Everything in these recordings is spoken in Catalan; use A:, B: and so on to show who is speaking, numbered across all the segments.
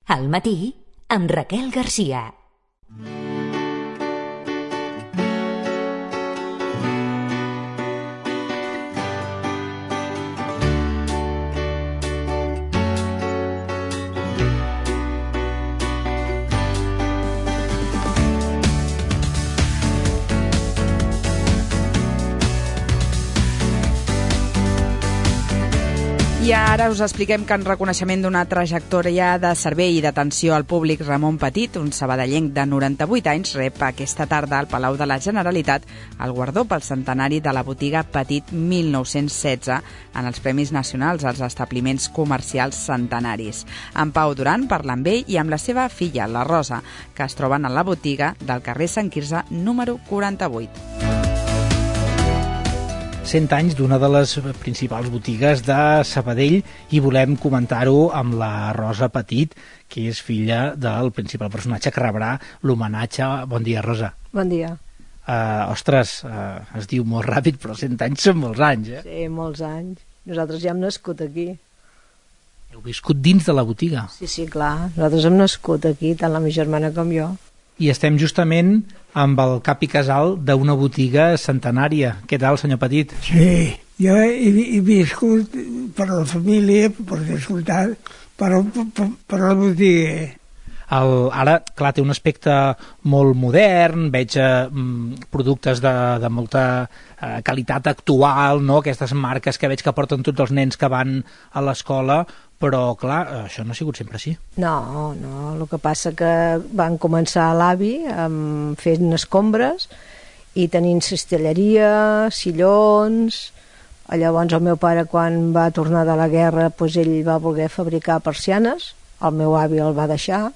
A: Al matí, amb Raquel Garcia.
B: I ara us expliquem que en reconeixement d'una trajectòria de servei i d'atenció al públic, Ramon Petit, un sabadellenc de 98 anys, rep aquesta tarda al Palau de la Generalitat el guardó pel centenari de la botiga Petit 1916 en els Premis Nacionals als establiments comercials centenaris. En Pau Duran parla amb ell i amb la seva filla, la Rosa, que es troben a la botiga del carrer Sant Quirze número 48.
C: 100 anys d'una de les principals botigues de Sabadell i volem comentar-ho amb la Rosa Petit, que és filla del principal personatge que rebrà l'homenatge. Bon dia, Rosa.
D: Bon dia.
C: Es diu molt ràpid, però 100 anys són molts anys, eh?
D: Sí, molts anys. Nosaltres ja hem nascut aquí.
C: Heu viscut dins de la botiga?
D: Sí, clar. Nosaltres hem nascut aquí, tant la meva germana com jo.
C: I estem justament amb el cap i casal d'una botiga centenària. Què tal, senyor Petit?
E: Sí, jo he viscut per la família, per descomptat, per la botiga.
C: Ara, clar, té un aspecte molt modern, veig productes de molta qualitat actual, no? Aquestes marques que veig que porten tots els nens que van a l'escola, però, clar, això no ha sigut sempre així.
D: No, el que passa que van començar l'avi fent escombres i tenint cistelleria, sillons. Llavors el meu pare, quan va tornar de la guerra, ell va voler fabricar persianes, el meu avi el va deixar,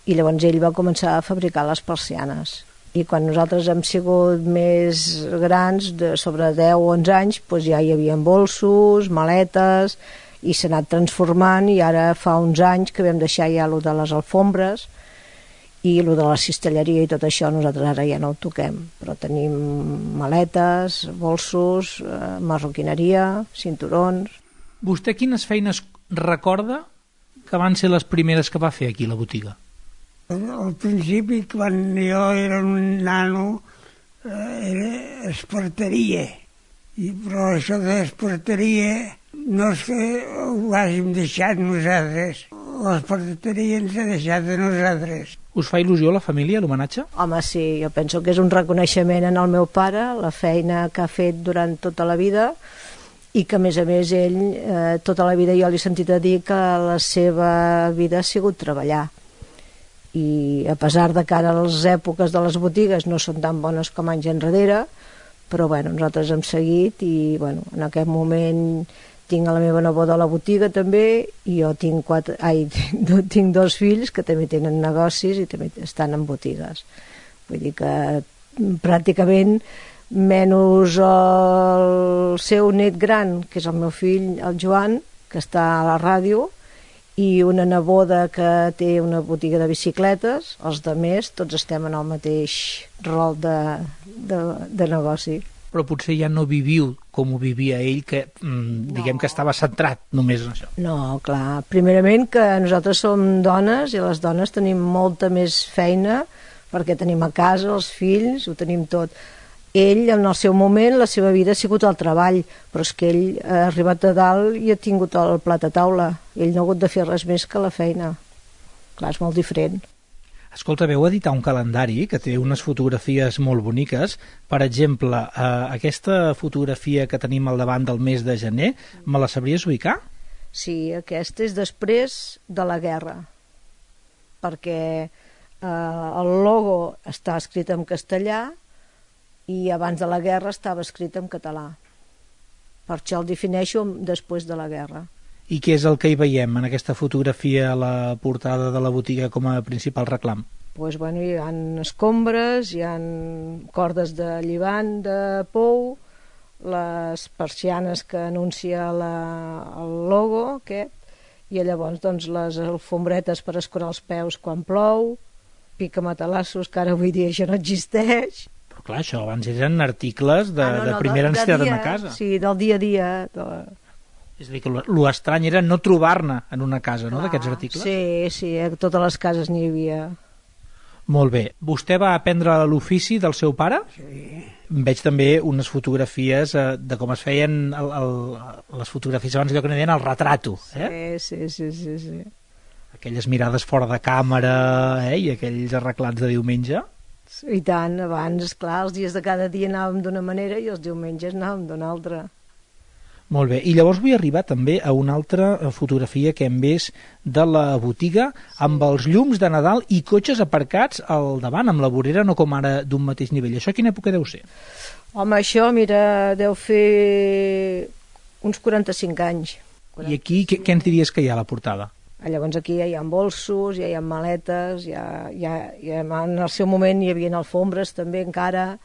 D: i llavors ell va començar a fabricar les persianes. I quan nosaltres hem sigut més grans, sobre 10 o 11 anys, ja hi havia bolsos, maletes, i s'ha anat transformant, i ara fa uns anys que vam deixar ja allò de les alfombres i allò de la cistelleria i tot això nosaltres ara ja no ho toquem, però tenim maletes, bolsos, marroquineria, cinturons.
C: Vostè quines feines recorda que van ser les primeres que va fer aquí a la botiga?
E: Al principi, quan jo era un nano, era esparteria, però això d'esparteria no és que ho hàgim deixat nosaltres, l'esparteria ens ha deixat a nosaltres.
C: Us fa il·lusió la família, l'homenatge?
D: Home, sí, jo penso que és un reconeixement en el meu pare, la feina que ha fet durant tota la vida, i que a més ell, tota la vida jo li he sentit a dir que la seva vida ha sigut treballar. I a pesar de que ara les èpoques de les botigues no són tan bones com anys enrere, però nosaltres hem seguit i en aquest moment tinc a la meva neboda a la botiga també, i jo tinc 2 fills que també tenen negocis i també estan en botigues. Vull dir que pràcticament, menys el seu net gran, que és el meu fill, el Joan, que està a la ràdio, i una neboda que té una botiga de bicicletes, els altres tots estem en el mateix rol de negoci.
C: Però potser ja no viviu com ho vivia ell, que diguem que estava centrat només en això.
D: No, clar, primerament que nosaltres som dones i les dones tenim molta més feina perquè tenim a casa els fills, ho tenim tot. Ell, en el seu moment, la seva vida ha sigut el treball, però és que ell ha arribat a dalt i ha tingut el plat a taula. Ell no ha hagut de fer res més que la feina. Clar, és molt diferent.
C: Escolta, veu editar un calendari que té unes fotografies molt boniques. Per exemple, aquesta fotografia que tenim al davant del mes de gener, me la sabries ubicar?
D: Sí, aquesta és després de la guerra, perquè el logo està escrit en castellà i abans de la guerra estava escrit en català. Per això el defineixo després de la guerra.
C: I què és el que hi veiem en aquesta fotografia a la portada de la botiga com a principal reclam?
D: Hi ha escombres, hi ha cordes de lligant de pou, les persianes que anuncia el logo aquest, i llavors les alfombretes per escurar els peus quan plou, picamatalassos, que ara avui dia això no existeix.
C: Però clar, això abans eren articles de primera necessitat de casa.
D: Sí, del dia a dia.
C: És a dir, que l'estrany era no trobar-ne en una casa, no?, d'aquests articles.
D: Sí, a totes les cases n'hi havia.
C: Molt bé. Vostè va aprendre l'ofici del seu pare?
E: Sí.
C: Veig també unes fotografies de com es feien les fotografies abans, allò que n'hi deien el retrato.
D: Sí.
C: Aquelles mirades fora de càmera i aquells arreglats de diumenge.
D: I tant, abans, esclar, els dies de cada dia anàvem d'una manera i els diumenges anàvem d'una altra.
C: Molt bé, i llavors vull arribar també a una altra fotografia que hem vist de la botiga amb els llums de Nadal i cotxes aparcats al davant, amb la vorera no com ara d'un mateix nivell. Això quina època deu ser?
D: Home, això, mira, deu fer uns 45 anys.
C: I aquí què ens diries que hi ha a la portada?
D: Llavors aquí ja hi ha bolsos, ja hi ha maletes, en el seu moment hi havia alfombres també encara,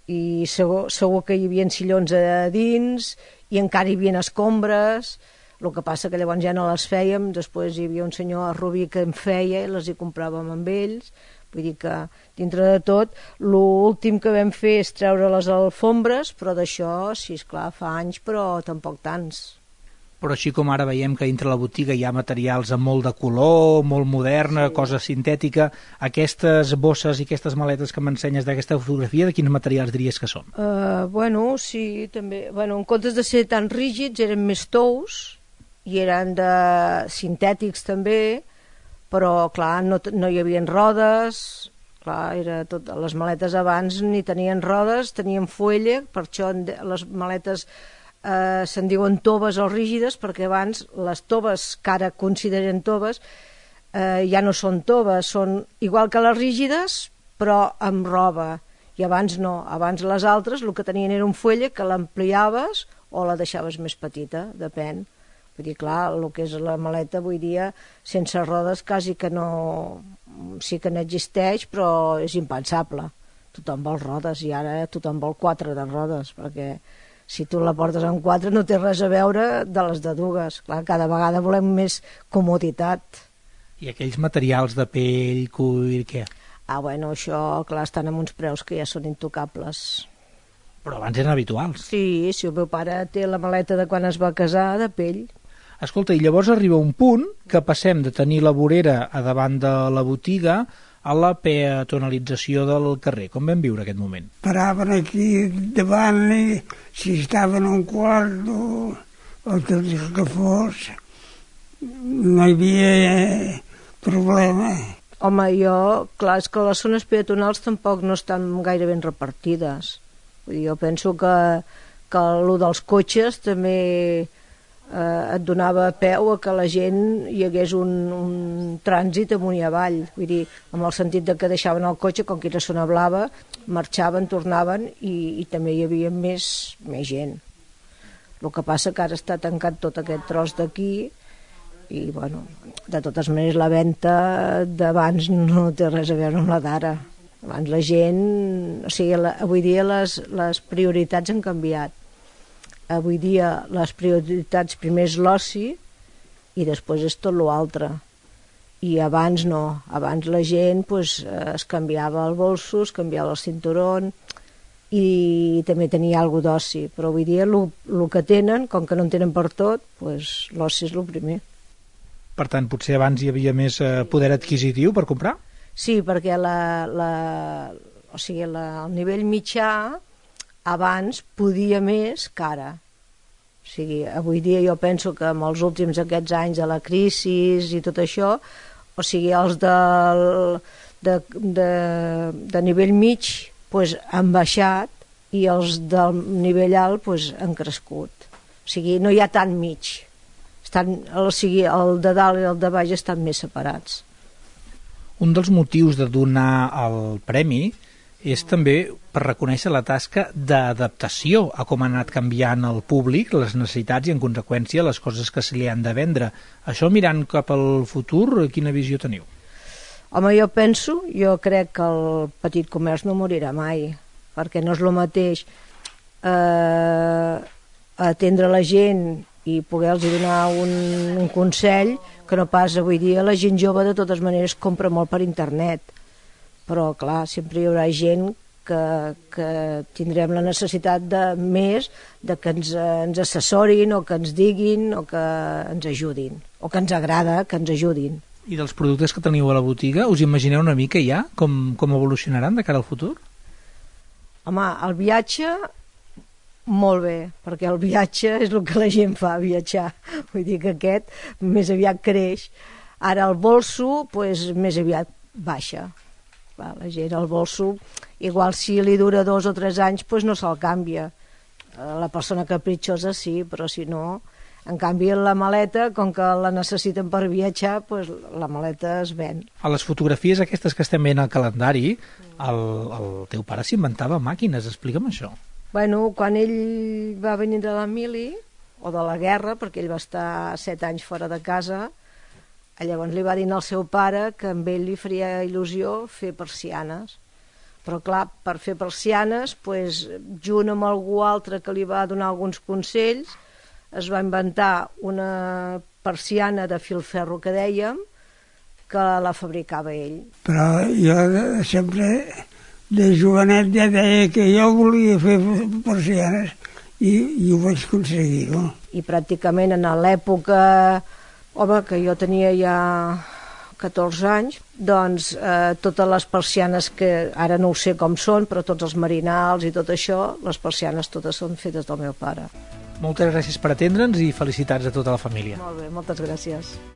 D: i segur que hi havia sillons a dins, i encara hi havia escombres. El que passa que llavors ja no les fèiem, després hi havia un senyor a Rubí que en feia i les hi compràvem amb ells. Vull dir que, dintre de tot, l'últim que vam fer és treure les alfombres, però d'això, sí, esclar, fa anys, però tampoc tants.
C: Però així com ara veiem que dintre la botiga hi ha materials amb molt de color, molt moderna, cosa sintètica, aquestes bosses i aquestes maletes que m'ensenyes d'aquesta fotografia, de quins materials diries que són?
D: Sí, també. En comptes de ser tan rígids, eren més tous i eren sintètics també, però clar, no hi havia rodes, clar, les maletes abans ni tenien rodes, tenien fuelle, per això les maletes se'n diuen toves o rígides, perquè abans les toves que ara consideren toves ja no són toves, són igual que les rígides però amb roba, i abans no, abans les altres el que tenien era un fuelle que l'ampliaves o la deixaves més petita, depèn. Vull dir, clar, el que és la maleta avui dia sense rodes quasi que no, sí que n'existeix, però és impensable. Tothom vol rodes i ara tothom vol 4 de rodes, perquè si tu la portes amb 4 no té res a veure de les de dues. Clar, cada vegada volem més comoditat.
C: I aquells materials de pell, cuir, què?
D: Això, clar, estan amb uns preus que ja són intocables.
C: Però abans eren habituals.
D: Sí, el meu pare té la maleta de quan es va casar, de pell.
C: Escolta, i llavors arriba un punt que passem de tenir la vorera a davant de la botiga a la peatonalització del carrer. Com vam viure aquest moment?
E: Paraven aquí davant i si estaven en un quart o tot el que fos, no hi havia problema.
D: Home, clar, és que les zones peatonals tampoc no estan gaire ben repartides. Vull dir, jo penso que el dels cotxes també et donava peu a que la gent hi hagués un trànsit amunt i avall, vull dir, amb el sentit de que deixaven el cotxe, com que era zona blava, marxaven, tornaven i també hi havia més gent. El que passa que ara està tancat tot aquest tros d'aquí i, de totes maneres la venda d'abans no té res a veure amb la d'ara. Abans la gent, avui dia les prioritats han canviat. Avui dia les prioritats primer és l'oci i després és tot l'altre. I abans no, abans la gent es canviava el bolso, es canviava el cinturó i també tenia alguna d'oci, però avui dia el que tenen, com que no en tenen per tot, l'oci és el primer.
C: Per tant, potser abans hi havia més poder adquisitiu per comprar?
D: Sí, perquè el nivell mitjà abans podia més que ara. Avui dia jo penso que amb els últims aquests anys de la crisi i tot això, els de nivell mig han baixat i els del nivell alt han crescut. No hi ha tant mig. El de dalt i el de baix estan més separats.
C: Un dels motius de donar el premi és també per reconèixer la tasca d'adaptació a com ha anat canviant el públic, les necessitats i, en conseqüència, les coses que se li han de vendre. Això, mirant cap al futur, quina visió teniu?
D: Home, jo crec que el petit comerç no morirà mai, perquè no és el mateix atendre la gent i poder-los donar un consell que no pas avui dia. La gent jove de totes maneres compra molt per internet, però clar, sempre hi haurà gent que tindrem la necessitat de més de que ens assessorin o que ens diguin o que ens ajudin, o que ens agrada que ens ajudin.
C: I dels productes que teniu a la botiga, us imagineu una mica ja com evolucionaran de cara al futur?
D: Home, el viatge, molt bé, perquè el viatge és el que la gent fa, viatjar. Vull dir que aquest més aviat creix. Ara el bolso, doncs, més aviat baixa. La gent, el bolso, igual si li dura 2 o 3 anys, doncs no se'l canvia. La persona capritxosa sí, però si no... En canvi, la maleta, com que la necessiten per viatjar, doncs la maleta es ven.
C: A les fotografies aquestes que estem veient al calendari, el teu pare s'inventava màquines, explica'm això.
D: Bueno, quan ell va venir de la mili, o de la guerra, perquè ell va estar 7 anys fora de casa, llavors li va dir al seu pare que amb ell li faria il·lusió fer persianes. Però clar, per fer persianes, doncs, junt amb algú altre que li va donar alguns consells, es va inventar una persiana de filferro que dèiem, que la fabricava ell.
E: Però jo sempre, de jovenet, ja deia que jo volia fer persianes i ho vaig aconseguir. No?
D: I pràcticament en l'època, home, que jo tenia ja 14 anys, doncs totes les persianes que ara no ho sé com són, però tots els marinals i tot això, les persianes totes són fetes del meu pare.
C: Moltes gràcies per atendre'ns i felicitats a tota la família.
D: Molt bé, moltes gràcies.